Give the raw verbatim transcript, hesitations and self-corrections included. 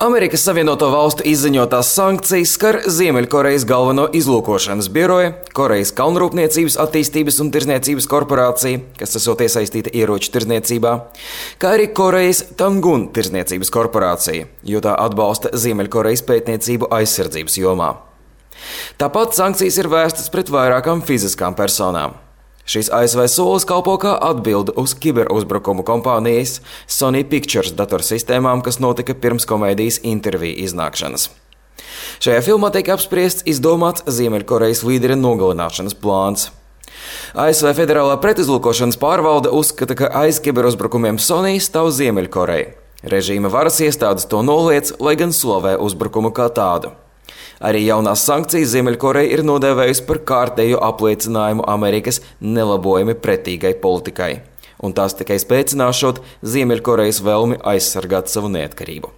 Amerikas Savienoto Valstu izziņotās sankcijas skar Ziemeļkorejas galveno izlūkošanas biroju, Korejas kalnrūpniecības attīstības un tirdzniecības korporāciju, kas esot iesaistīta ieroču tirdzniecībā, kā arī Korejas Tangun tirdzniecības korporācija, jo tā atbalsta Ziemeļkorejas pētniecību aizsardzības jomā. Tāpat sankcijas ir vērstas pret vairākām fiziskām personām. Šis A S V solis kalpo kā atbilde uz kiberuzbrukumu kompānijas Sony Pictures datorsistēmām, kas notika pirms komēdijas Intervija iznākšanas. Šajā filmā tiek apspriests izdomāts Ziemeļkorejas līdera nogalināšanas plāns. A S V Federālā pretizlūkošanas pārvalde uzskata, ka aiz kiberuzbrukumiem Sony stāv Ziemeļkoreja. Režīma varas iestādes to noliedz, lai gan slavē uzbrukumu kā tādu. Arī jaunās sankcijas Ziemeļkoreja ir nodēvējusi par kārtējo apliecinājumu Amerikas nelabojami pretīgai politikai, un tās tikai spēcināšot Ziemeļkorejas vēlmi aizsargāt savu neatkarību.